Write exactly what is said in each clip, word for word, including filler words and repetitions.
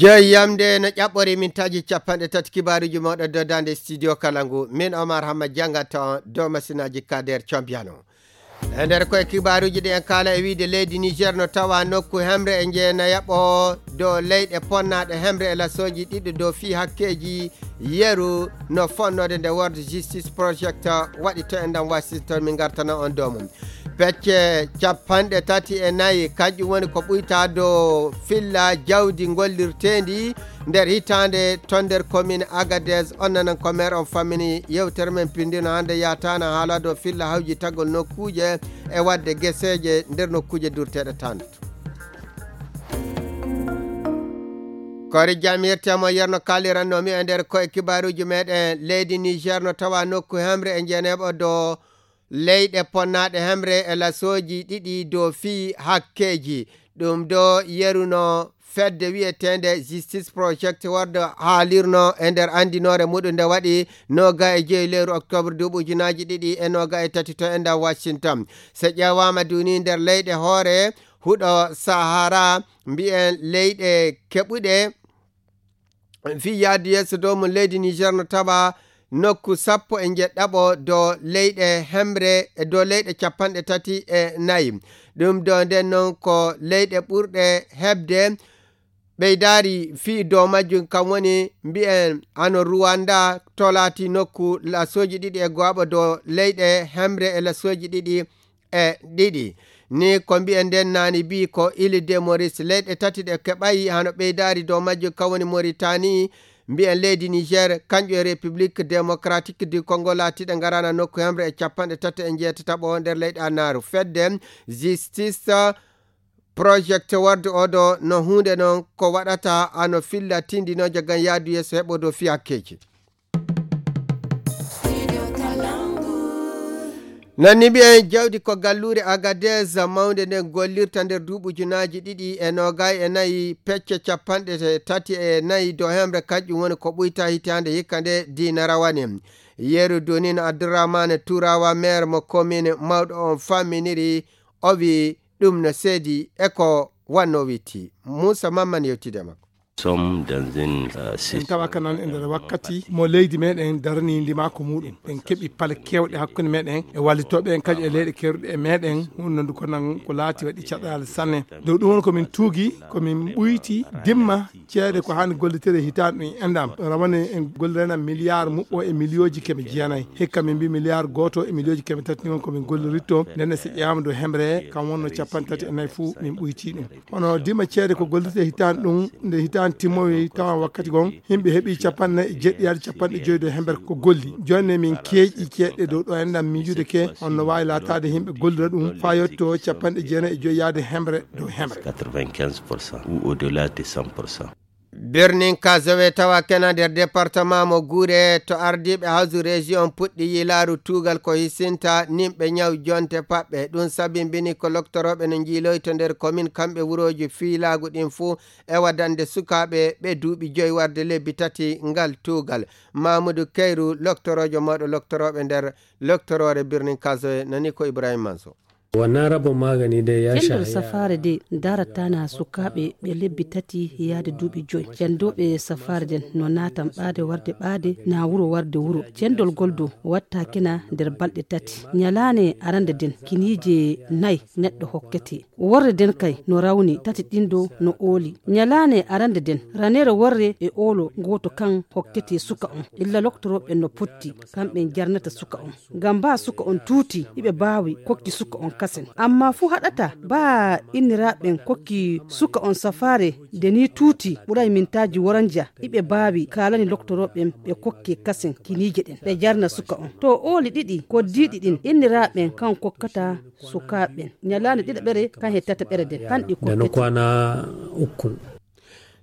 Jeyi yamde no ƴaɓɓori min taji capanɗe tati kibaaruuji mawɗo dodande studio kala ngu. Min Omar Hamma jangata on dow masinaaji Kader Cambiano. E nder koye kibaaruuji ɗi en kaala e wiide leydi Niger no tawa nokku hemre e njeena yaɓo dow leyɗe ponnaaɗe hemre e lasooji ɗiɗi dow fii hakkeeji yeru no fonnode nde World Justice Project waɗi to enɗam Washington, min ngartana on dow mum. Pecce capanɗe tati e nayi, kanƴum woni ko ɓuyta dow filla jawdi ngollirteendi nder hitaande to nder commune Agadez. On nanan ko maire on fammini yewtere men pindino hannde yataana haala dow filla hawjitagol nokkuuje e waɗde geseeje nder nokkuuje durteeɗe tan. Kori jamirte mo yerno kaliranno mi e nder koye kibaaruuji meɗen. Leydi Niger no tawa nokku hemre e njeneeɓo dow leyɗe ponnaaɗe hemre e lasooji ɗiɗi dow fii hakkeeji. Ɗum ɗo yeruno fedde wiyeteende Justice Project World haalirno e nder anndinoore muɗum nde waɗi noga e joyi lewru octobre duuɓi ujunaaji ɗiɗi e noga e tati to enda Washington. So ƴeewaama duni nder leyɗe hoore huɗo Sahara, mbiyen leyɗe keɓuɗe fii yaadu yeeso dow mum leydi Niger no tawa nokku sappo e njeɗɗaɓo dow leyɗe hemre, dow leyɗe capanɗe tati e nayi. Ɗum ɗo nden noon ko leyɗe ɓurɗe heɓde ɓeydaari fii dow majjum, kam woni mbiyen hano Rwanda tolati nokku lasooji ɗiɗi e go'aɓo dow leyɗe hemre e lasooji ɗiɗi e ɗiɗi. Ni ko mbiyen nden naani bii ko Ile de Maurice, leyɗe tati ɗe keɓayi hano ɓeydaari dow majjum kam woni Mauritanie, mbiyen leydi Niger, kanƴum e République Démocratique du Congo laatiiɗe ngarana nokku hemre e capanɗe tati e njeetataɓo nder leyɗe annaaru. Fedde Justice Project World oɗo no huunde noon ko waɗata ano filla tindinooje ngam yaadu yeeso heɓo dow fii hakkeeji. Nanni mbiyen jawdi ko galluure Agadez mawnde nden gollirta nder duuɓi ujunaaji ɗiɗi e noogay e nayi, pecce capanɗe tati e nayi dow hemre, kanƴum woni ko ɓuyta hitaande hikka nde diina rawane. Yeru dunin Abdourahmane Turawa, maire mo commune mawɗo on famminiri, o wi ɗum no seedi e ko wanno witti. Moussa Mamman yewtide makko. Sommes dans une, euh, en tawa kanan e nder wakkati mo leydi meɗen darani ndimaaku muɗum. En keɓi pale kewɗe hakkunde meɗen e wallitooɓe en kadi e leyɗe keruɗe e meɗen, hunnandu ko nan ko laati waɗi caɗaale sanne. Dow ɗum woni ko min tuugi, ko min ɓuyti dimma ceede ko hani gollitere hitaande ɗum endam. Rawane en gollirana milliard muɓɓo e miliyooji keme jeenayi. Hikka min mbi milliard gooto e miliyooji keme tati ni won ko min golliritto. Nden so ƴeewama dow hemre kam wonno capanɗe tati e nayi fuu min ɓuyti ɗum. Hono dima ceede ko gollirte hitaande ɗum, nde hitaande timmowi tawa wakkati gon, yimɓe heɓi capanɗe jeɗɗi yaade capanɗe joyi dow hemre ko golli. Jooni ne min keeƴi ceeɗe dow ɗo enɗam miijude ke, on no waawi laataade yimɓe gollira ɗum faa yetto capanɗe jeenayi e joyi yaade hemre dow hemre. Quatre-vingt-quinze pour cent ou au-delà de cent pour cent. Birnin Kazowe tawa kena nder département mo Gure to ardiiɓe hawsu région puɗɗi yiilaaru tuugal ko hisinta nimɓe ñaw jonte paɓɓe. Ɗum sabimbini ko loktorooɓe no njiiloyto nder commune kamɓe wurooji fiilaagu ɗin fuu e waɗande sukaaɓe ɓe duuɓi joyi warde lebbi tati ngal tuugal. Mamoudou Keyru, loktoroojo mawɗo loktorooɓe nder loktoroore Birnin Kazowe, nani ko Ibrahim Manso. Wannan rabon magani dai ya Cendol shahi safaare de darataana sukaaɓe ɓe lebbi tati yaade duuɓi joyi. Cendooɓe safaare den no naatan ɓaade warde ɓaade, na wuro warde wuro. Cendol gol do wattaakina nder balɗe tati. Ñalaane arande den kiniije nay neɗɗo hokkete. Worre den kay no rawni, tati ɗin do no ooli. Ñalaane arande den, raneere worre e oolo gooto kan hokkete suka on. Illa loktorooɓe no potti, kamɓe jarnata suka on. Ngam baa suka on tuuti, iɓe baawi kokki suka on kasen. Amma fuu haɗata baa inniraaɓen kokki suka on safaare de nii tuuti ɓuray mintaaji woranja, iɓe baawi kaalani loktorooɓen ɓe kokke kasen kiniije ɗen. Ɓe jarna suka on. To ooli ɗiɗi koddiiɗi ɗin inniraaɓen kan kokkata sukaaɓe ɓen. Ñalaande ɗiɗaɓere kan he tataɓere den, kan ɗi kokkete. Kwana ukkun.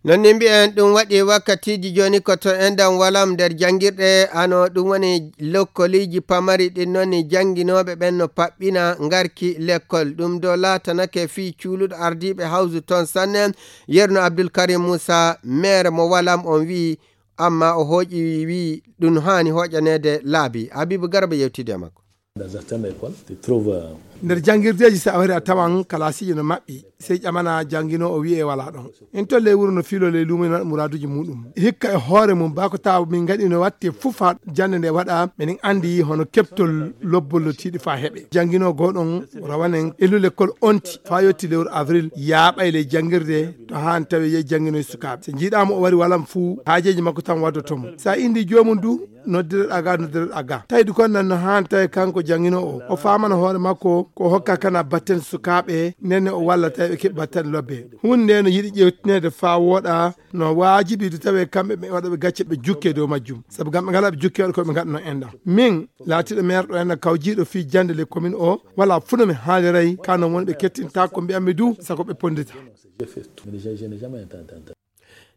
Non ni mbiyen ɗum waɗi wakkatiiji jooni ko to enɗam walam nder janngirɗe, ano ɗum woni lokkoliiji pamari ɗin non ni jannginooɓe ɓen no paɓɓina ngarki lekkol. Ɗum ɗo laatanake fii cuuluɗo ardiiɓe hawsu ton sanne, Yerno Abdul Karim Moussa, maire mo walam on wi'i, amma o hooƴi wi'i ɗum haani hooƴaneede laabi. Habibu Garba yewtidi e makko. Dans certaines écoles, tu trouves, euh, Nder janngirdeeji, so a wari a tawan kalaasiiji no maɓɓi, sey ƴamana jannginoowo o wiyee walaa ɗon. En toon ley wuro no fiiloo ley luumo ina waɗa muraaduuji muuɗum. Hikka e hoore mum, baa ko tawa min ngaɗi no waɗte fuf haa jannde nde waɗa, meɗen anndi hono keɓtol lobbol no tiiɗi faa heɓe. Jannginoo goo ɗon rawanen e lule kol onti faa yotti lewru avril, yaaɓay ley janngirde to haan tawi yehi jannginoy sukaaɓe. So njiiɗaa mo o wari walam fuu, haajeeji makko tan waddoto mo. So a inndi joomum du, noddireɗaa ga, noddireɗaa ga. Tawi ɗum kon nan no haan tawi kanko jannginoo o, o faamana hoore makko ko o hokka kana batten sukaaɓe, nden ne o walla tawi ɓe keɓi batten lobbe. Huunde nde no yiɗi ƴeewtineede faa wooɗa, no waajibi du tawi kamɓe ɓe waɗooɓe gacce ɓe jukke dow majjum. Sabu ngam ɓe ngalaa ɓe jukke waɗa ko ɓe ngaɗno enɗam. Min, laatiiɗo meer ɗo enɗam kawjiiɗo fii jannde ley komin o, walaa fuu no mi haaliray, ka non woni ɓe kettintaa ko mbi'ammi du, sako ɓe ponndita.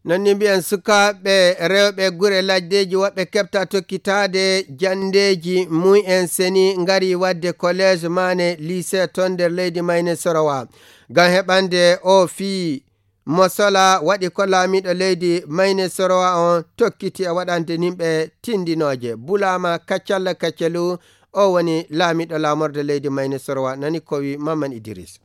Non ni mbiyen sukaaɓe rewɓe gure laddeeji woɓɓe keɓta tokkitaade janndeeji mum en seni ngari waɗde collège maane lycée toon nder leydi Mayne Sorowa. Ngam heɓande o fii mo sola waɗi ko laamiiɗo leydi Mayne Sorowa on tokkiti e waɗande nimɓe tindinooje. Bulaama Kaccalla Kaccelu, o woni laamiiɗo laamorde leydi Mayne Sorowa, nani ko wi Mamman Idris.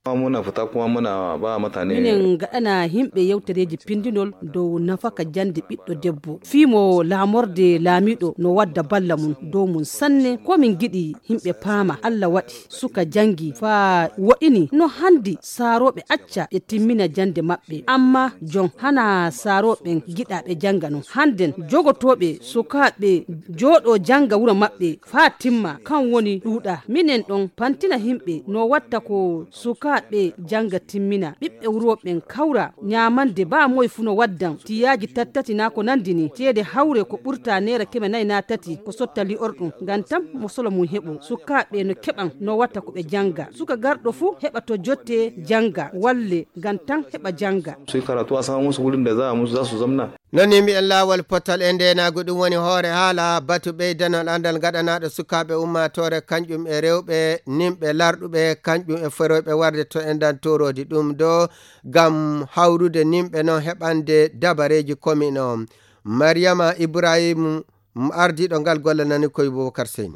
Muna fita kuma muna ba mutane. Minen ngaɗana yimɓe yewtereeji pindinol dow nafaka jannde ɓiɗɗo debbo. Fii mo laamorde laamiiɗo no wadda balla mum dow mum sanne. Ko min ngiɗi yimɓe paama, Alla waɗi suka janngi faa woɗini. No handi saarooɓe acca ɓe timmina jannde maɓɓe. Amma jon hana saarooɓe ngiɗa ɓe jannga non. Hannden jogotooɓe sukaaɓe jooɗoo jannga wuro maɓɓe faa timma, kan woni ɗuuɗa. Minen ɗon pantina yimɓe no watta ko sukaaɓe jannga timmina. Ɓiɓɓe wuro ɓen kawra ñaamande baa moy fuu no waddan tiyaaji tattati naa ko nandi ni. Ceede hawre ko ɓurta neera keme nayi naa tati ko sotta li'orɗum. Ngam tan mo solo mum heɓo. Sukaaɓe no keɓan no watta ko ɓe jannga. Suka garɗo fuu heɓa to jottee jannga, walle ngam tan heɓa jannga. Su yi karatu a sama musu wurin da za a musu za su zamna. Non ni mbiyen laawol potal e ndeenaagu, ɗum woni hoore haala batu ɓeydanol anndal gaɗanaaɗo sukaaɓe ummaatoore, kañƴum e rewɓe, nimɓe larɗuɓe, kañƴum e foroyɓe warde to enɗam tooroodi. Ɗum ɗo ngam hawrude nimɓe non heɓande dabareeji komin o. Mariyama Ibrahim, ardiiɗo ngal golle nani koye Boubacar Seyni.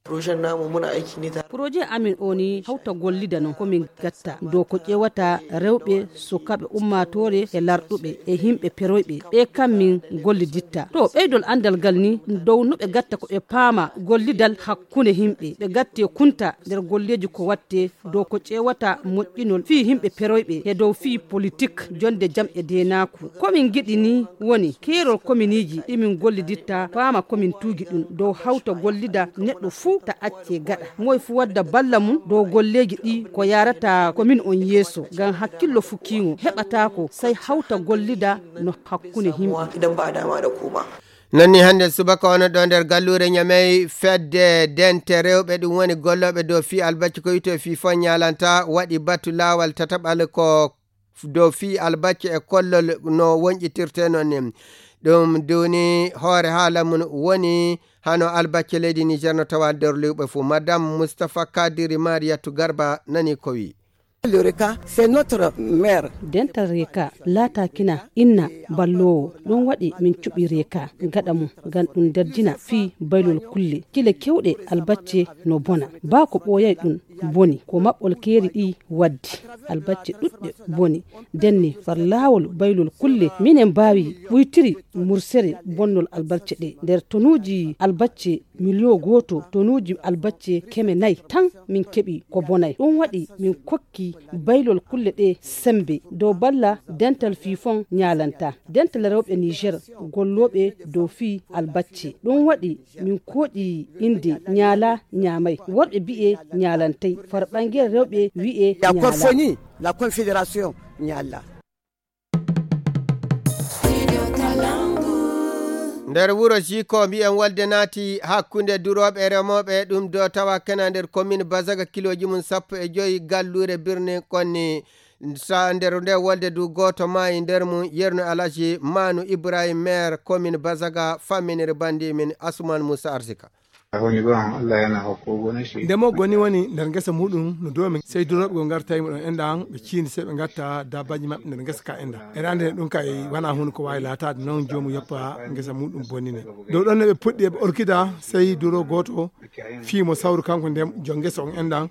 Projet namu muna aiki ne tare. Projet amin o ni hawta gollida non ko min gatta dow ko ƴeewata rewɓe, sukaaɓe ummaatoore e larɗuɓe e yimɓe peroyɓe. Ɓe kam min golliditta. To ɓeydol anndal ngal ni dow no ɓe gatta ko ɓe paama gollidal hakkunde yimɓe. Ɓe gatte kunta nder golleeji ko watte dow ko ƴeewata moƴƴinol fii yimɓe peroyɓe e dow fii politik, jonde jam e deenaaku. Ko min ngiɗi ni woni keerol kominiiji ɗi min golliditta, paama ko min tuugi ɗum dow hawta gollida neɗɗo fuu ta acce gaɗa. Moy fuu wadda balla mum dow golleeji ɗi ko yaarata komin on yeeso, ngam hakkillo fuu kiingo heɓataako, sey hawta gollida no hakkunde yimɓe. Idan ba a dama da kuma. Non ni hannde subaka ono ɗo nder galluure Ñamey, fedde dente rewɓe, ɗum woni gollooɓe dow fii albacci ko wiyetee fii fon ñaalanta, waɗi batu laawal tataɓal ko dow fii albacce e kollol no wonƴitirte non ni. Ɗum duuni hoore haala mum woni hano albacce leydi Niger no tawa nder lewɓe fuu. Madame Moustapha Kadiri Mariatou Garba nani ko wi. Le Reka, c'est notre mère. Dental Reka laatakina inna balloowo. Ɗum waɗi min cuɓi Reka gaɗa mum ngam ɗum derdina fii baylol kulle. Kile kewɗe albacce no bona. Baa ko ɓooyay ɗum boni. Ko maɓɓol keeri ɗi waddi. Albacce ɗuɗɗe boni. Denni far laawol baylol kulle. Minen mbaawi ɓuytiri mursere bonnol albacce ɗe. Nder tonuuji albacce miliyon gooto, tonuuji albacce keme nayi tan min keɓi ko bonay. Ɗum waɗi min kokki baylol kulle ɗe sembe dow balla dental fii fon ñaalanta. Dental rewɓe Niger gollooɓe dow fii albacce. Ɗum waɗi min kooƴi innde ñaala ñaamay. Worɓe bi'e ñaalantay. Far ɓangere rewɓe wi'e ñaala. La Corfoni, la Confédération ñaala. Nder wuro Jiko, mbiyen wolde naati hakkunde durooɓe e remooɓe, ɗum do tawa kena nder commune Bazaga, kilooji mum sappo e joyi, galluure birni konni. Sa nder nde wolde du gooto maayi nder mum, yerno Alhaji Manu Ibrahim, maire commune Bazaga, famminiri bandi min Asuman Musa Arsika. Nde mo goni woni nder ngesa muɗum no doomi, sey durooɓe go ngarta yimo ɗon enɗan ɓe ciindi, sey ɓe ngatta dabbaji maɓɓe nder ngesa ka enɗan. Eɗa andi ɗum kay wana hunde ko waawi laataade, noon joomu yoppa ngesa muɗum bonine. Dow ɗon ne ɓe puɗɗi eɓe orkida, sey duro gooto fii mo sawru kanko nden jo ngesa on enɗan.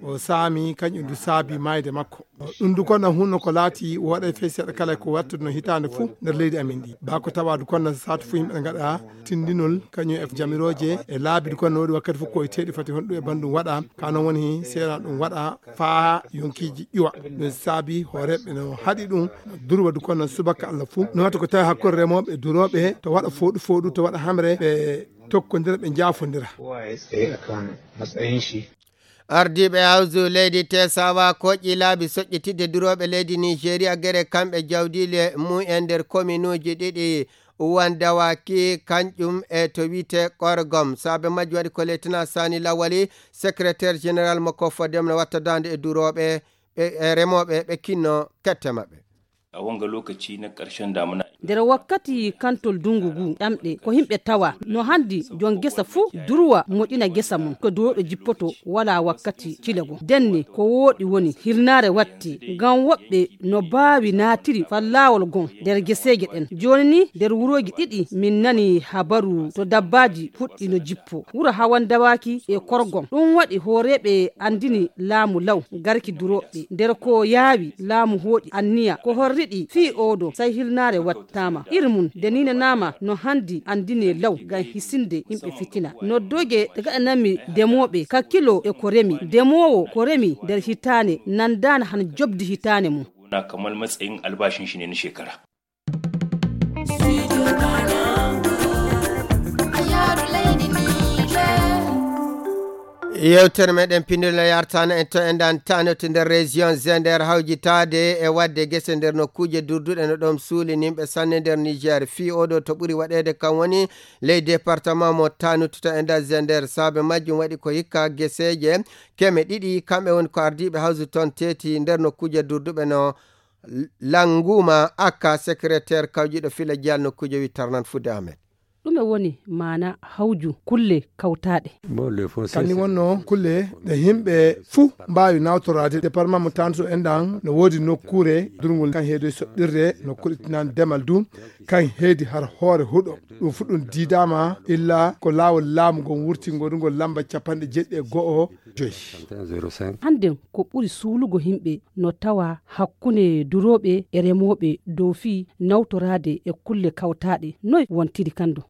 O saami, kañum du saabi maayde makko. Ɗum du kono hunno ko laati woɗay fey seeɗa kala ko wattude no hitaande fuu nder leydi amin ndi. Ba ko tawa du kono saatu fuu yimɓe ngaɗa tindinol kañum e jamirooje e laabi du kono no woodi wakkati fuu ko e teeɗi fati honɗum e banndum waɗa. Ka noon woni seeɗa ɗum waɗa faa yonkiiji ƴuwa. Ɗum saabi hooreeɓe no haɗi ɗum durwa du kono subaka Allah fuu. No watta ko tawi hakkunde remooɓe e durooɓe to waɗa fooɗu fooɗu to waɗa hamre ɓe tokkondira ɓe njaafondira. Ardiiɓe hawsu leydi Tesawa koƴƴi laabi soƴƴitidde durooɓe leydi Nigeria gere kamɓe jawdiile mum en nder kominuuji ɗiɗi Uwan Dawaki, kanƴum e to wiyte Korgom. Saabe majjum waɗi ko Lieutenant Sani Lawali, secrétaire général mo Kofodem no watta daande e durooɓe, ɓe, e remooɓe, ɓe kinno kette maɓɓe. A wanga lokaci na ƙarshen damuna. Nder wakkati kantol dungu ngu, ɗamɗe ko yimɓe tawa. No handi jon gesa fuu durwa moƴƴina gesa mum. Ko duwoɗo jippoto wala wakkati cile go. Denne ko wooɗi woni hirnaare watti. Ngam woɓɓe no baawi naatiri fallawol gon nder geseeje ɗen. Jooni ni nder wurooji ɗiɗi min nani habaru to dabbaaji fuɗɗi no jippo. Wuro Hawan Dawaaki e Korgom. Ɗum waɗi hooreeɓe anndini laamu law garki durooɓe. Nder ko yaawi, laamu hooƴi anniya ko horriɗi fii oodo, sai hilnaare wattaama. Iri mum, de ninanaama no handi anndine law ngam hisinde yimɓe fitina. Noddoje ɗe gaɗanami demooɓe kakkilo e ko remi. Demoowo ko remi nder hitaane nandaana han jobdi hitaane mum. Wona kamar matsayin albashin shi ne na shekara. Yewtere meɗen pindol no yartana en to enɗan tanoto nder région Zender, hawjitaade e waɗde gese nder nokkuuje durduɗe no ɗon suuli nimɓe sanne nder Niger. Fii oɗo to ɓuri waɗeede kan woni ley département mo Tanout to enɗan Zender. Saabe majjum waɗi ko hikka geseeje keme ɗiɗi, kamɓe woni ko ardiiɓe hawsu ton teeti nder nokkuuje durduɓe no Languma Aka, secrétaire kawjiɗo Fila Dial nokkuuje wi Tarnan Fudde Ahmed. Ɗume woni maana hawju kulle kawtaaɗe? Kanni wonno kulle ɗe yimɓe fuu mbaawi nawtoraade. Département mo Tanto enɗan no woodi nokkuure durngol kan heedoy soɗɗirde, nokkuure tinan demal du kan heedi har hoore huɗo. Ɗum fu ɗum diidaama illa ko laawol laamu ngon wurti ngonungol lamba capanɗe jeɗɗi e go'o joyi. Hannden ko ɓuri suulugo yimɓe no tawa hakkunde durooɓe e remooɓe dow fii nawtoraade e kulle kawtaaɗe. Noy wontiri kan ɗo?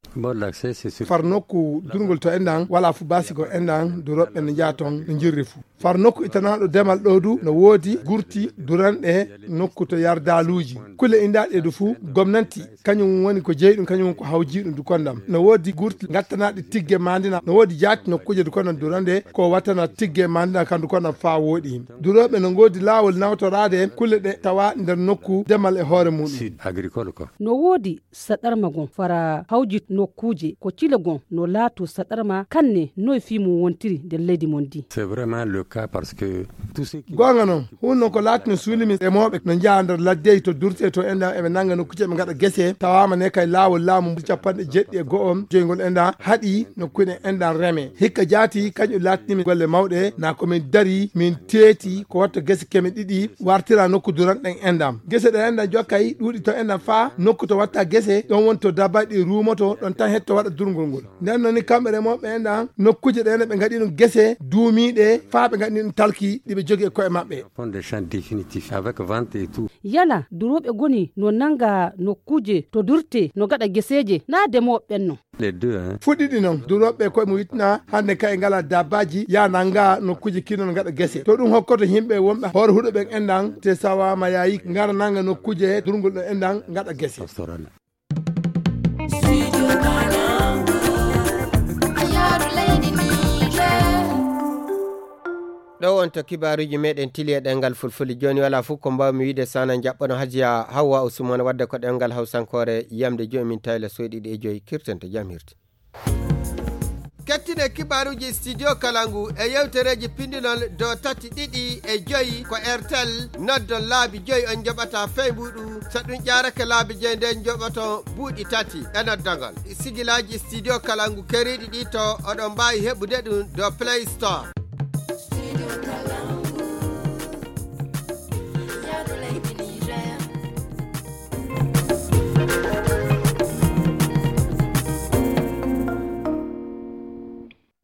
Far nokku durngol to enɗan wala fu basigo enɗan durooɓe no njaha ton no njirri fu. Far nokku itanaaɗo demal ɗo du no woodi gurti duranɗe nokku to yardaaluuji. Kulle indaaɗe du fu gomnanti kañum woni ko jeyi ɗum, kañum woni ko hawji ɗum du kondam. No woodi gurti ngattanaaɗe tigge mandina, no woodi jaati nokkuuje du kondam durande ko wattana tigge mandina kan du kondam faa wooɗi. Durooɓe no ngoodi laawol nawtoraade kulle ɗe tawa nder nokku demal e hoore muɗum. Sud agricole ko. No woodi saɗarma gon fara hawji nokkuuje ko cile gon no laato saɗarma kanne noy fii mum wontiri nder leydi mon ndi. C'est vraiment le cas parce que tout ce qui. Goonga noon, hunno ko laatino suulimi remooɓe no njaha nder laddeyi to durte to enɗan eɓe nannga nokkuuje ɓe ngaɗa gese, tawaama ne kay laawol laamu capanɗe jeɗɗi e go'o joyngol enɗan haɗi nokkuuje enɗan reme. Hikka jaati kañum laatinimi golle mawɗe, na ko min dari, min teeti ko watta gese keme ɗiɗi wartira nokku duranɗen enɗan. Gese ɗe enɗan jokkay ɗuuɗi to enɗan faa nokku to watta gese, ɗon woni to dabbaji ɗi ruumoto, ɗon tan hetto waɗa durngol ngol. Nden noon ni kamɓe remooɓe enɗan, nokkuuje ɗe enɗan ɓe ngaɗi ɗum gese duumiiɗe faa ɓe ngaɗi ɗum talki ɗi ɓe jogi e ko'e maɓɓe. Fond de champ définitif avec vente et tout. Yala durooɓe goni no nannga nokkuuje to durte no ngaɗa geseeje, naa demooɓe ɓen non. Les deux, hein. Fuɗɗiɗi noon, durooɓe koye mum wittina hannde kay ngala dabbaaji, yaa nannga nokkuuje kino no ngaɗa gese. To ɗum hokkoto yimɓe wonɓe hoore huɗo ɓen enɗan, te sawaama yaayi, ngara nannga nokkuuje durngol ɗo enɗan ngaɗa gese. Pastoral. Ɗo on to kibaaruuji meɗen tili e ɗemngal fulfulde. Jooni wala fof ko mbawmi wiide sana jaɓɓano Hajiya Hawwa Usman wadde ko ɗemngal hawsankoore yamde joyi min tawla soyɗiɗi e joyi kirten to jam hirti. Kettine kibaaruuji Studio Kalangu e yewtereeji pindinol dow tati ɗiɗi e joyi ko Airtel. Noddon laabi joyi on njoɓata fey mbuuɗu. So ɗum ƴaarake laabi joyi nden njoɓoto buuɗi tati e noddagol. Sigilaaji Studio Kalangu keriiɗi ɗi to oɗon mbaawi heɓude ɗum dow Play Store.